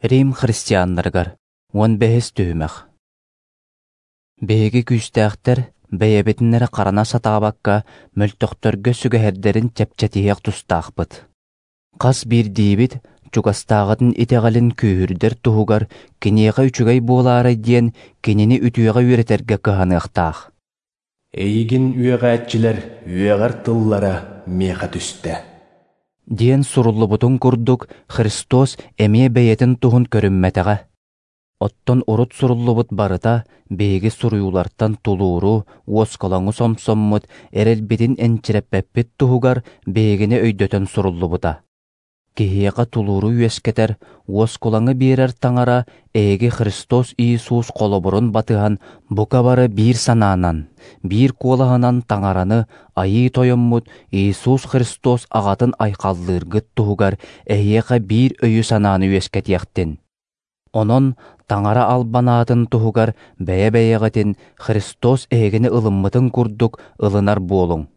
Рим христианнарыгар 15 түһүмэх. Биһиги күүстээхтэр бэйэбитин эрэ харана сатаабакка мөлтөхтөргө сүгэһэрдэрин чэпчэтиһиэх тустаахпыт. Хас биирдиибит чугастааҕытын итэҕэлин күүһүрдэр туһугар киниэхэ үчүгэй буолаарай диэн кинини үтүөҕэ үөрэтэргэ кыһаныахтаах. Эйигин үөҕээччилэр үөҕэр тыллара миэхэ түстэ. Диэн суруллубутун курдук Христос эмиэ бэйэтин туһун көрүммэтэҕэ. Оттон урут суруллубут барыта биһиги суруйуулартан тулууру, уоскулаҥы сомсоммут, эрэлбитин энчирэппэппит туһугар биһигини өйдөтөн суруллубута. Киһиэхэ тулууру үөскэтэр, уоскулаҥы биэрэр Таҥара эһиги Христос Иисус холобурун батыһан бука бары биир санаанан, биир куолаһынан Таҥараны Айыы Тойоммут Иисус Христос аҕатын айхаллыыргыт туһугар эһиэхэ биир өйү-санааны үөскэтиэхтин. Онон Таҥара албан аатын туһугар бэйэ-бэйэҕитин Христос эһигини ылыммытын курдук ылынар буолуҥ.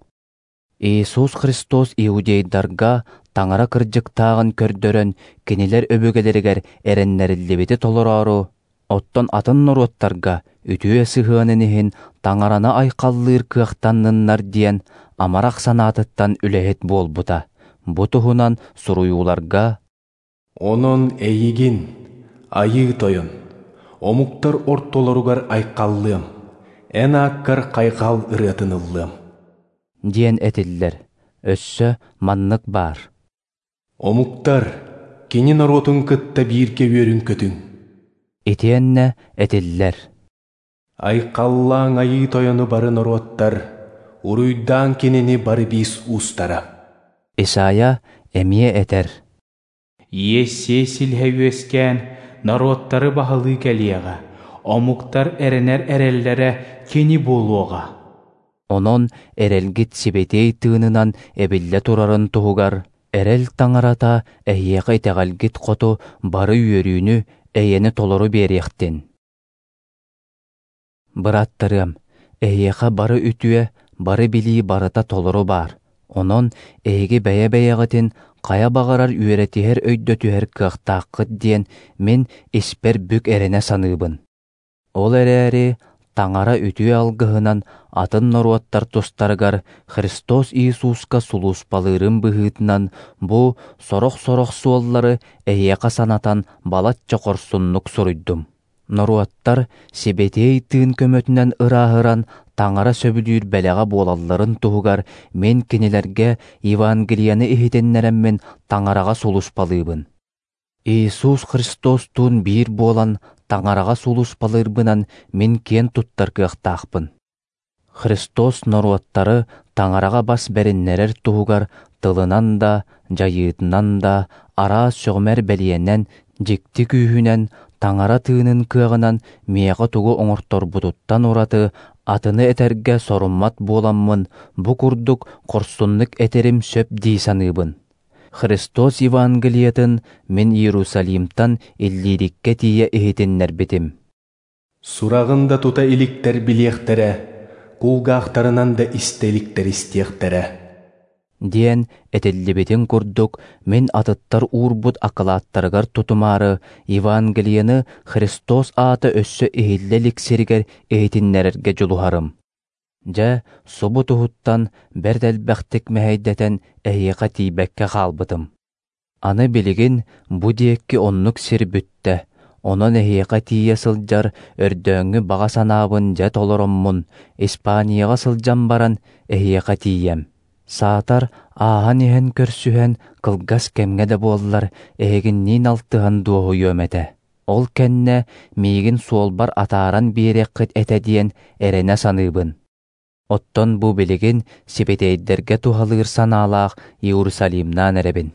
Иисус Христос иудейдарга Таҥара кырдьыктааҕын көрдөрөн, кинилэр өбүгэлэригэр эрэннэриллибити толороору, оттон атын норуоттарга үтүө сыһыанын иһин Таҥараны айхаллыыр кыахтанныннар диэн амарах санаатыттан үлэһит буолбута. Бу туһунан суруйууларга «Онон эйигин, Айыы Тойон, омуктар ортолоругар айхаллыам, эн ааккар хайҕал ырыатын ыллыам» диэн этиллэр. Өссө маннык баар. Омуктар, кини норуотун кытта бииргэ үөрүн-көтүҥ. Итиэннэ этиллэр. Айхаллааҥ Айыы Тойону бары норуоттар, уруйдаан кинини бары биис уустара. Исайя эмиэ этэр. Иессей силиһэ үөскээн, норуоттары баһылыы кэлиэҕэ, омуктар эрэнэр эрэллэрэ кини буолуоҕа. Онон эрэлгит сибэтиэй тыынынан эбиллэ турарын туһугар, эрэл Таҥарата эһиэхэ итэҕэлгит хоту бары үөрүүнү, эйэни толору биэриэхтин. Бырааттарыам, эһиэхэ бары үтүө, бары билии барыта толору баар. Онон эһиги бэйэ-бэйэҕитин хайа баҕарар үөрэтиһэр өйдөтүһэр кыахтааххыт диэн мин испэр бүк эрэнэ саныыбын. Ол эрээри Таҥара үтүө алгыһынан атын норуоттар тустарыгар Христос Иисуска сулууспалыырын быһыытынан бу сорох-сорох суоллары эһиэхэ санатан балачча хорсуннук суруйдум. Норуоттар сибэтиэй тыын көмөтүнэн ырааһыран Таҥара сөбүлүүр бэлэҕэ буолалларын туһугар мин кинилэргэ Евангелиены иһитиннэрэммин Таҥараҕа сулууспалыыбын. Иисус Христостуун биир буолан Таҥараҕа сулууспалыырбынан мин киэн туттар кыахтаахпын. Христос норуоттары Таҥараҕа бас бэриннэрэр туһугар тылынан да, дьайыытынан да, араас сөҕүмэр бэлиэнэн, дьикти күүһүнэн, Таҥара тыынын кыаҕынан миэхэ тугу оҥорторбутуттан ураты атыны этэргэ соруммат буоламмын, бу курдук хорсуннук этэрим сөп дии саныыбын. Христос Евангелиетын мин Иерусалимтан Иллириккэ тиийэ иһитиннэрбитим. Сураҕын да тута иликтэр билиэхтэрэ, кулгаахтарынан да истэ иликтэр истиэхтэрэ. Диэн этиллибитин курдук мин атыттар уурбут акылааттарыгар тутумаары Евангелиены Христос аата өссө иһиллэ илик сиригэр иһитиннэрэргэ дьулуһарым. Дьэ, субу туһуттан бэрт элбэхтик мэһэйдэтэн эһиэхэ тиийбэккэ хаалбытым. Аны билигин бу диэки оннук сир бүттэ, онон эһиэхэ тиийэ сылдьар өрдөөҥҥү баҕа санаабын дьэ толороммун, Испанияҕа сылдьан баран эһиэхэ тиийэм. Саатар ааһан иһэн көрсүһэн кылгас кэмҥэ да буоллар эһигинниин алтыһан дуоһуйуом этэ. Ол кэннэ миигин суолбар атааран биэриэххит этэ диэн эрэнэ саныыбын. Оттон бу билигин сибэтиэйдэргэ туһалыыр санаалаах Иерусалимнаан эрэбин.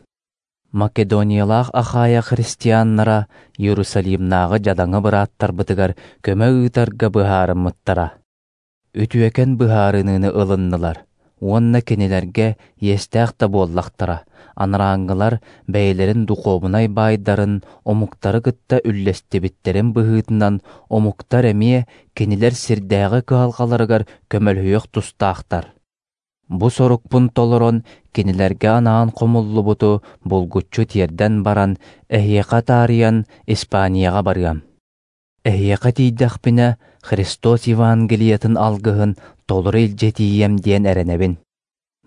Македониялаах Ахайя христианнара Иерусалимнааҕы дьадаҥы бырааттарбытыгар көмө ыытарга быһаарыммыттара. Үтүөкэн быһаарыныыны ылыннылар уонна кинилэргэ иэстээх да буоллахтара, анарааҥҥылар бэйэлэрин духуобунай баайдарын омуктары кытта үллэстибиттэрин быһыытынан омуктар эмиэ кинилэр сирдээҕи кыһалҕаларыгар көмөлөһүөх тустаахтар. Бу сорукпун толорон, кинилэргэ анаан хомуллубуту булгуччу тиэрдэн баран, эһиэхэ таарыйан Испанияҕа барыам. Эһиэхэ тиийдэхпинэ, Христос Евангелиетын алгыһын толору илдьэ тиийиэм диэн эрэнэбин.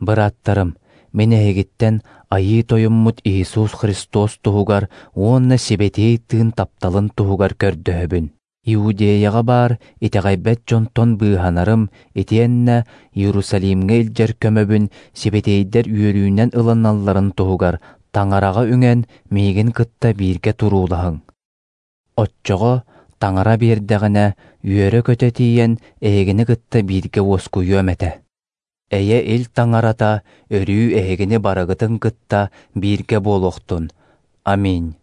Бырааттарым, мин эһигиттэн Айыы Тойоммут Иисус Христос туһугар уонна Сибэтиэй Тыын тапталын туһугар көрдөһөбүн. Иудеяҕа баар итэҕэйбэт дьонтон быыһанарым итиэннэ Иерусалимҥа илдьэр көмөбүн сибэтиэйдэр үөрүүнэн ылыналларын туһугар Таҥараҕа үҥэн миигин кытта бииргэ туруулаһыҥ. Оччоҕо Таҥара биэрдэҕинэ үөрэ-көтө тиийэн эһигини кытта бииргэ уоскуйуом этэ. Эйэ Ил Таҥарата өрүү эһигини барыгытын кытта бииргэ буолуохтун. Аминь.